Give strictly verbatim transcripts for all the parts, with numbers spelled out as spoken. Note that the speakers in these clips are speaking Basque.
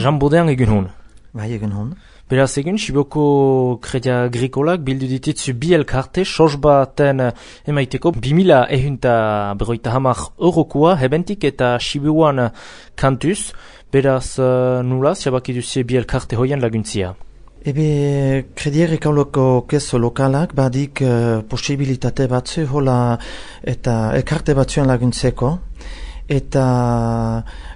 Jean Bodean egun hon. Bai, egun hon. Beraz egun, Siboko Kredia Agrikolak bildu dititzu bi elkarte, sos baten emaiteko, bimila ehunta berroita hamar eurokua, hebentik eta Sibuan kantuz. Beraz, uh, nula, ziabaki duzie bi elkarte hoien laguntzia. Ebe, Kredia Agrikolako kezo lokalak badik uh, posibilitate batzu hola eta elkarte batzuen laguntzeko. Eta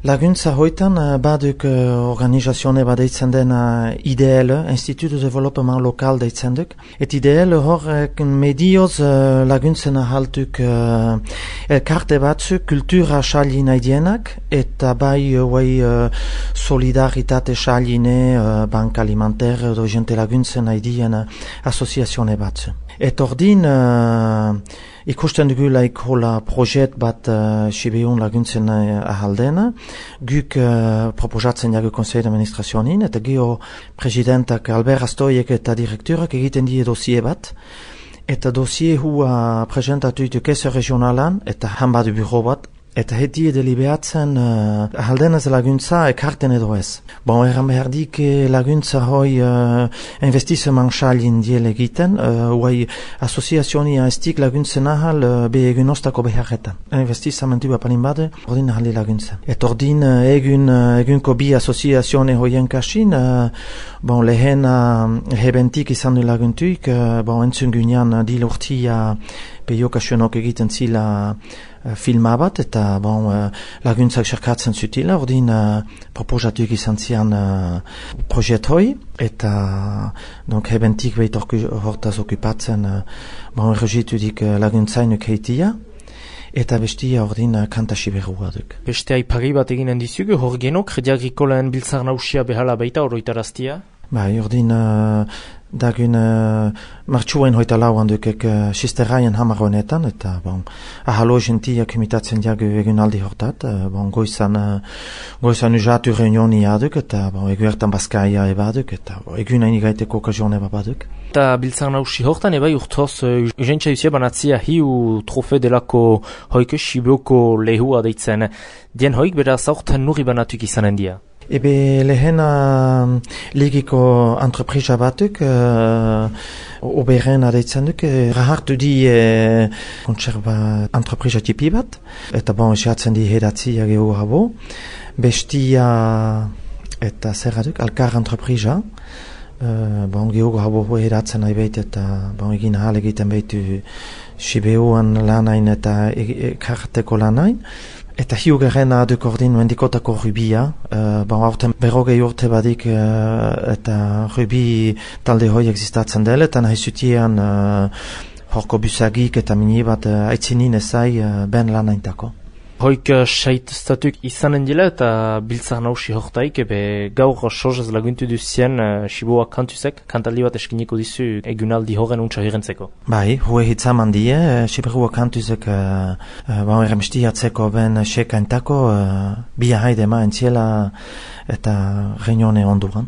laguntza hoitan baduk organizazione bat deitzen dena I D L, Institut de Développement Local deitzen duk. Et I D L horrek medioz laguntzen ahaltuk elkarte batzu kultura xali nahi dienak, eta bai bai solidaritate xaline, bank alimentaire edo jente laguntzen nahi dien asoziazione batzu. Et ordin uh, ikusten dugulaik hola projet bat uh, Sibeun laguntzen uh, ahaldena, guk uh, proposatzen jagu Conseil d'Administrazionin, eta gio presidentak Albert Astoiek eta direkturak egiten die dosie bat, eta dosie hua presentatu ditu kezo regionalan, eta hanbadu bureau bat, eta heti deliberatzen uh, ahaldenez laguntza ekarten edo ez. Bon, erran behar dik laguntza hoi uh, investizeman xalin diel egiten, uh, huai asoziazionia estik laguntzen ahal uh, be egun ostako beharretan. Investizamentu apanin bade, ordin ahali laguntzen. Et ordin uh, egun, uh, egunko bi asoziazione hoien kasin, uh, bon, lehen uh, hebentik izan du laguntuik, uh, bon, entzun gunean uh, dil urtia peio kasionok egiten zila uh, filma bat, eta bon, uh, laguntzak xerkatzen zutila, ordin uh, proposatuik izan zian uh, projet hoi, eta donc hebentik behit hortaz okupatzen uh, bon, erregitu dik uh, laguntzainuk heitia, eta bestia ordin uh, kanta siberua duk. Beste aipari bat eginen dizugu, hor geno, Kredia Agrikolen biltzar nausia behala baita oroitaraztia? Bai, ordin uh, dagun uh, martxuen hoita lauan dukek uh, sisteraien hamar honetan, eta bon, ahalo gentiak imitatzen jagu egun aldi hortat, uh, bon, goizan, uh, goizan ujatu reunioni aduk, eta bon, egu ertan baskaia ebaduk, eta bon, egun hain igaiteko okazione babaduk. Eta biltzar nausi hortan ebai urtoz, uh, urgentsa duzia banatzia hiu trofe delako hoike Siboko lehua deitzen. Dien hoik beraz hortan nurri banatuk izanen dia. Ebe lehena ligiko entreprisa batuk, uh, oberen adeitzen duk, rahartu di uh, kontserba entreprisa tipi bat, eta bon, esatzen di hedatzia gehu habo, bestia eta zer aduk, alkar entreprisa, uh, bon, gehu habo hedatzen nahi behit, eta bon, egin ahal egiten behitu Sibeuan lanain eta ekarteko lanain. Eta hiugaren aduk ordin mendikotako rubia, uh, bon, aurten berrogei urte badik uh, eta rubi talde hoi existatzen dela, eta nahi zutien uh, horko busagik eta mini bat uh, aitzinin ezai uh, ben lanaintako. Hoik uh, sait statuk izanen dila eta biltzar nausi hortaik, ebe gaur sozaz laguntu duzien uh, Siboa kantuzek, kantaldi bat eskiniko dizu egunaldi horren untsa hirentzeko. Bai, hue hitzaman die, uh, Siboa kantuzek uh, uh, bon, eremestiatzeko ben sekaintako uh, bia haide ma entziela eta reunione onduran.